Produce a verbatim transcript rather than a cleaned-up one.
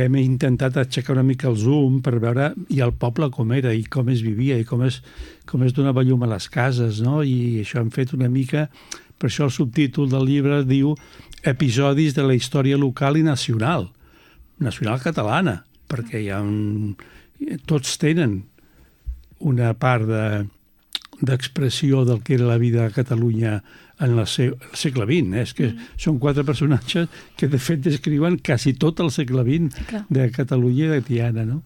Hem intentat aixecar una mica el zoom per veure i el poble com era i com es vivia i com es, com es donava llum a les cases, no? I això hem fet una mica... Per això el subtítol del llibre diu Episodis de la història local i nacional, nacional catalana, perquè hi ha un... tots tenen una part de, d'expressió del que era la vida a Catalunya en el segle vint. Eh? És que mm. són quatre personatges que, de fet, descriuen quasi tot el segle vint sí, de Catalunya i de Tiana, no?